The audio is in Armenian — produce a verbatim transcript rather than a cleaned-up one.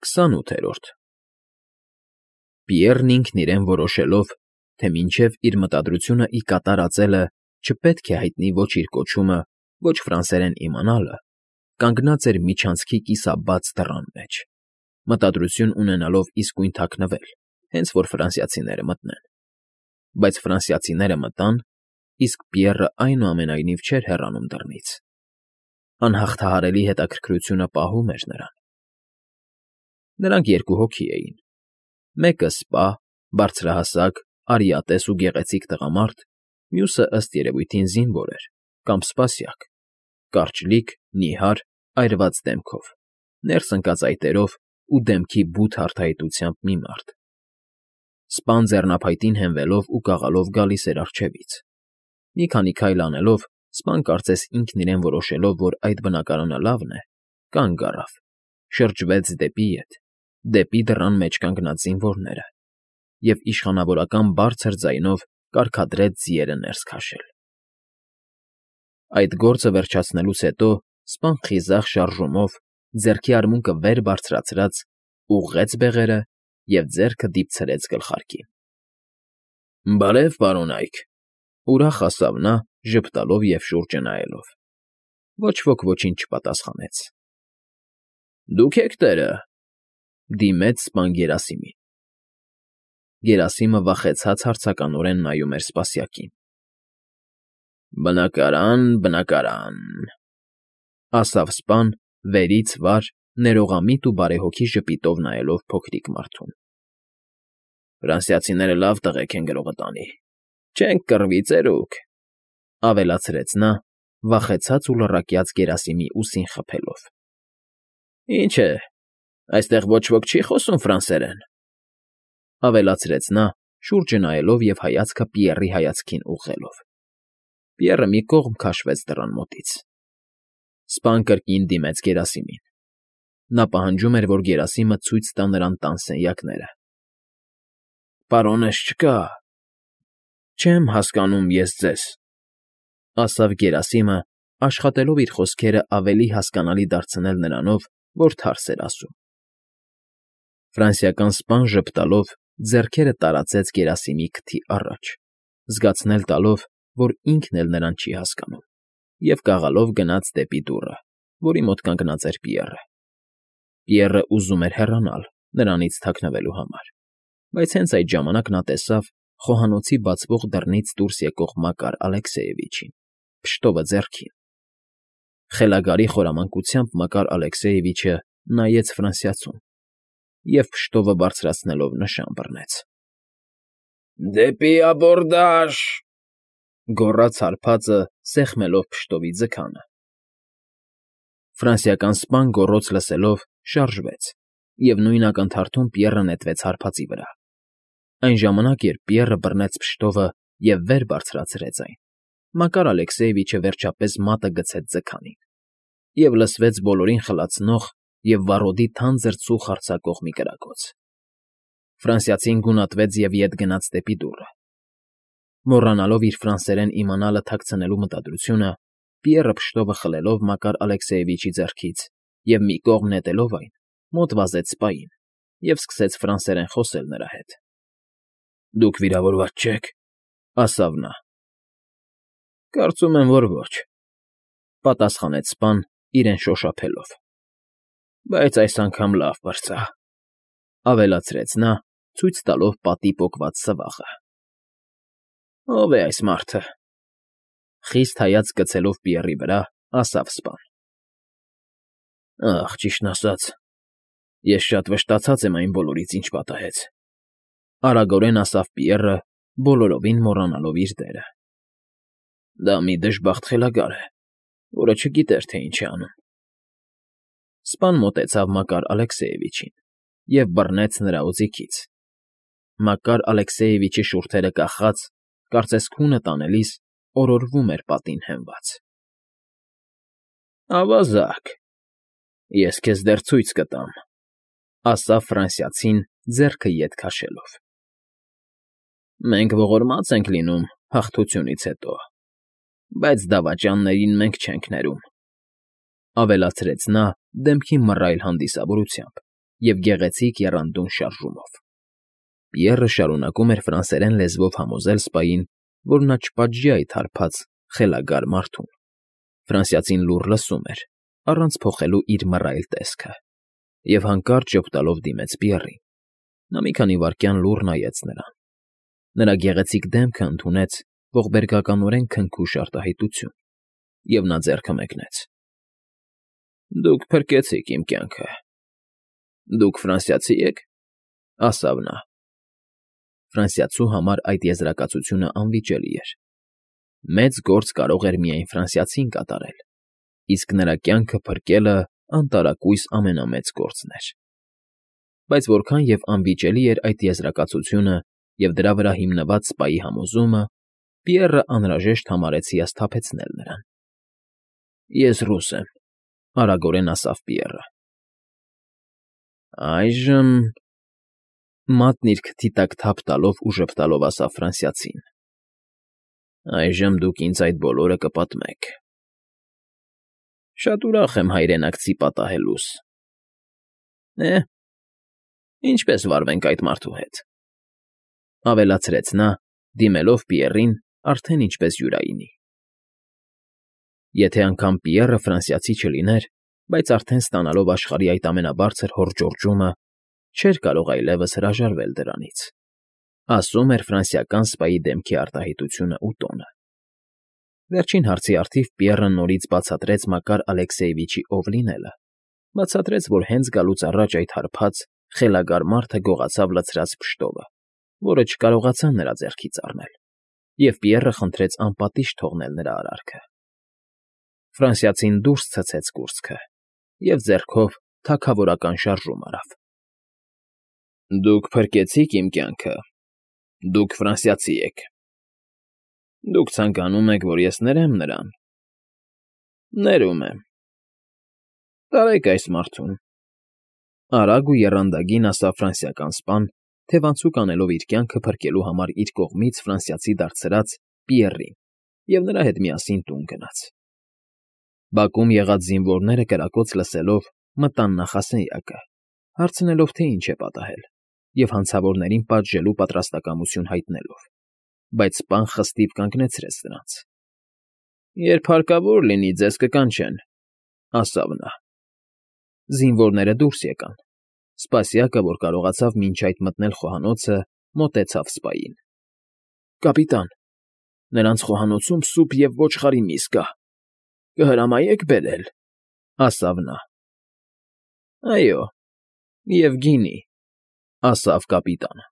Քսանութերորդ Պիեռն ինքն իրեն որոշելով, թե մինչև իր մտադրությունն ի կատար ածելը չպետք է հայտնի ոչ իր կոչումը, ոչ ֆրանսերեն իմանալը, կանգնած էր միջանցքի կիսաբաց դռան մեջ, մտադրություն ունենալով իսկույն թաքնվել, հենց որ ֆրանսիացիները մտնեն. բայց ֆրանսիացիները մտան, իսկ Պիեռը այնուամենայնիվ չէր հեռանում դռնից. անհաղթահարելի հետաքրքրությունը պահում էր նրան։ Նրանք երկու հոգի էին. մեկը սպա, բարձրահասակ, արիատես ու գեղեցիկ տղամարդ, մյուսը, ըստ երևույթին, զինվոր էր կամ սպասյակ, կարճլիկ, նիհար, այրված դեմքով, ներս ընկած այտերով ու դեմքի բութ արտահայտությամբ մի մարդ։ Սպան ձեռնափայտին հենվելով ու կաղալով գալիս էր առջևից։ Մի քանի քայլ անելով, սպան կարծես ինքն իրեն որոշելով, որ այդ բնակարանը լավն է, կանգ առավ, շրջվեց դեպի ետ, դեպի դռան մեջ կանգնած զինվորները և իշխանավորական բարձր ձայնով կարգադրեց ձիերը ներս քաշել։ Այդ գործը վերջացնելուց հետո սպան խիզախ շարժումով, ձեռքի արմունկը վեր բարձրացրած, ուղղեց բեղերը և ձեռքը դիպցրեց գլխարկին։ ֊ Բարև, պարոնայք,֊ ուրախ ասավ նա, ժպտալով և շուրջը նայելով։ Ոչ ոք ոչինչ չպատասխանեց։ ֊ Դուք եք տերը,֊ դիմեց սպան Գերասիմին։ Գերասիմը վախեցած հարցականորեն նայում էր սպասյակին։ ֊ Բնակարան, բնակարան,֊ ասավ սպան, վերից վար, ներողամիտ ու բարեհոգի ժպիտով նայելով փոքրիկ մարդուն։ ֊ Ֆրանսիացիները լավ տղեկ են գրողը տանի, չենք կռվի, ծերուկ,֊ ավելացրեց նա, վախեցած ու լռակյաց Գերասիմի ուսին խփելով։ ֊ Ինչ է, այստեղ ոչ ոք չի խոսում ֆրանսերեն,֊ ավելացրեց նա, շուրջը նայելով և հայացքը Պիեռի հայացքին ուղղելով։ Պիեռը մի կողմ քաշվեց դռան մոտից։ Սպան կրկին դիմեց Գերասիմին։ Նա պահանջում էր, որ Գերասիմը ցույց տա նրան տան սենյակները։ ֊ Պարոնս չկա,֊ Չեմ հասկանում ես ձեզ,֊ ասավ Գերասիմը, աշխատելով իր խոսքերը ավելի հասկանալի դարձնել նրանով, որ թարս էր ասում։ Ֆրանսիական սպան ժպտալով ձեռքերը տարածեց Գերասիմի քթի առաջ, զգացնել տալով, որ ինքն էլ նրան չի հասկանում, և կաղալով գնաց դեպի դուռը, որի մոտ կանգնած էր Պիեռը։ Պիեռը ուզում էր հեռանալ, նրանից թաքնվելու համար, բայց հենց այդ ժամանակ նա տեսավ խոհանոցի բացվող դռնից դուրս եկող Մակար Ալեքսեևիչին, փշտովը ձեռքին։ Խելագարի խորամանկությամբ Մակար Ալեքսեևիչը նայեց ֆրանսիացուն և փշտովը բարձրացնելով նշան բռնեց։ ֊ Դեպի աբորդաժ,֊ գոռաց հարբածը, սեղմելով փշտովի ձգանը։ Ֆրանսիական սպան գոռոց լսելով շարժվեց, և նույն ակնթարթում Պիեռը նետվեց հարբածի վրա։ Այն ժամանակ, երբ Պիեռը բռնեց փշտովը և վեր բարձրացրեց այն, Մակար Ալեքսեևիչը վերջապես մատը գցեց ձգանին, և լսվեց բոլորին խլացնող և վառոդի թանձր ծուխ արձակող մի կրակոց։ Ֆրանսիացին գունատվեց և ետ գնաց դեպի դուռը։ Մոռանալով իր ֆրանսերեն իմանալը թաքցնելու մտադրությունը, Պիեռը փշտովը խլելով Մակար Ալեքսեևիչի ձեռքից և մի կողմ նետելով այն, մոտ վազեց սպային և սկսեց ֆրանսերեն խոսել նրա հետ։ ֊ Դուք վիրավորված չե՞ք,֊ ասավ նա։ ֊ Կարծում եմ, որ ոչ,֊ պատասխանեց սպան, իրեն շոշափելով։ ֊ Բայց այս անգամ լավ պրծա,֊ ավելացրեց նա, ցույց տալով պատի պոկված սվաղը։ ֊ Ո՞վ է այս մարդը,֊ խիստ հայացք գցելով Պիեռի վրա, ասավ սպան։ ֊ Ախ, ճիշտն ասած, ես շատ վշտացած եմ այն բոլորից, ինչ պատահեց,֊ արագորեն ասավ Պիեռը, բոլորովին մոռանալով իր դերը։ ֊ Դա մի դժբախտ խելագար է, որը չգիտեր, թե ինչ է անում։ Սպան մոտեցավ Մակար Ալեքսեևիչին և բռնեց նրա օձիքից։ Մակար Ալեքսեևիչի շուրթերը կախած, կարծես քունը տանելիս, օրորվում էր պատին հենված։ ֊ Ավազակ, ես քեզ դեռ ցույց կտամ,֊ ասավ ֆրանսիացին, ձեռքը ետ քաշելով։ ֊ Մենք ողորմած ենք լինում հաղթությունից հետո, բայց դավաճաններին մենք չենք ներում,֊ ավելացրեց նա դեմքի մռայլ հանդիսավորությամբ և գեղեցիկ եռանդուն շարժումով։ Պիեռը շարունակում էր ֆրանսերեն լեզվով համոզել սպային, որ նա չպատժի այդ հարբած, խելագար մարդուն։ Ֆրանսիացին լուռ լսում էր, առանց փոխելու իր մռայլ տեսքը, և հանկարծ ժպտալով դիմեց Պիեռին։ Նա մի քանի վայրկյան լուռ նայեց նրան։ Նրա գեղեցիկ դեմքը ընդունեց ողբերգականորեն քնքուշ արտահայտություն, և նա ձեռքը մեկնեց։ ֊ Դուք փրկեցիք իմ կյանքը։ Դուք ֆրանսիացի եք,֊ ասավ նա։ Ֆրանսիացու համար այդ եզրակացությունը անվիճելի էր։ Մեծ գործ կարող էր միայն ֆրանսիացին կատարել, իսկ նրա կյանքը փրկելը անտարակույս ամենամեծ գործն էր։ Բայց որքան և անվիճելի էր այդ եզրակացությունը և դրա վրա հիմնված սպայի համոզումը, Պիեռը անհրաժեշտ համարեց հիասթափեցնել նրան։ ֊ Ես ռուս եմ,֊ արագորեն ասավ Պիեռը։ ֊ Այժմ,֊ մատն իր քթի տակ թափ տալով ու ժպտալով ասավ ֆրանսիացին,֊ այժմ դուք ինձ այդ բոլորը կպատմեք։ ֊ Շատ ուրախ եմ հայրենակցի պատահելուս։ ֊ Է՞, ինչպե՞ս վարվենք այդ մարդու հետ,֊ ավելացրեց նա, դիմելով Պիեռին արդեն ինչպես յուրայինի։ Եթե անգամ Պիեռը ֆրանսիացի չլիներ, բայց արդեն ստանալով աշխարհի այդ ամենաբարձր հոռճոռճումը, չէր կարող այլևս հրաժարվել դրանից,֊ ասում էր ֆրանսիական սպայի դեմքի արտահայտությունն ու տոնը։ Վերջին հարցի առթիվ Պիեռը նորից բացատրեց Մակար Ալեքսեևիչի ով լինելը, բացատրեց, որ հենց գալուց առաջ այդ հարբած, խելագար մարդը գողացավ լցրած փշտովը, որը չկարողացան նրա ձեռքից առնել, և Պիեռը խնդրեց անպատիժ թողնել նրա արարքը։ Ֆրանսիացին դուրս ցցեց կուրծքը և ձեռքով թագավորական շարժում արավ։ ֊ Դուք փրկեցիք իմ կյանքը, դուք ֆրանսիացի եք։ Դուք ցանկանում եք, որ ես ներեմ նրան։ Ներում եմ։ Տարեք այս մարդուն,֊ արագ ու եռանդագին ասավ ֆրանսիական սպան, թևանցուկ անելով իր կյանքը փրկելու համար իր կողմից ֆրանսիացի դարձրած Պիեռին և նրա հետ միասին տուն գնաց։ Բակում եղած զինվորները կրակոց լսելով մտան նախասենյակը, հարցնելով, թե ինչ է պատահել, և հանցավորներին պատժելու պատրաստակամություն հայտնելով, բայց սպան խստիվ կանգնեցրեց նրանց։ ֊ Երբ հարկավոր լինի, ձեզ կկանչեն,֊ ասավ նա։ Զինվորները դուրս եկան։ Սպասյակը, որ կարողացավ մինչ այդ մտնել խոհանոցը, մոտեցավ սպային։ ֊ Կապիտան, նրանց խոհանոցում սուպ և ոչխարի միս կա, կհրամայե՞ք բերել,֊ ասավ նա։ ֊ Այո, և գինի,֊ ասավ կապիտանը։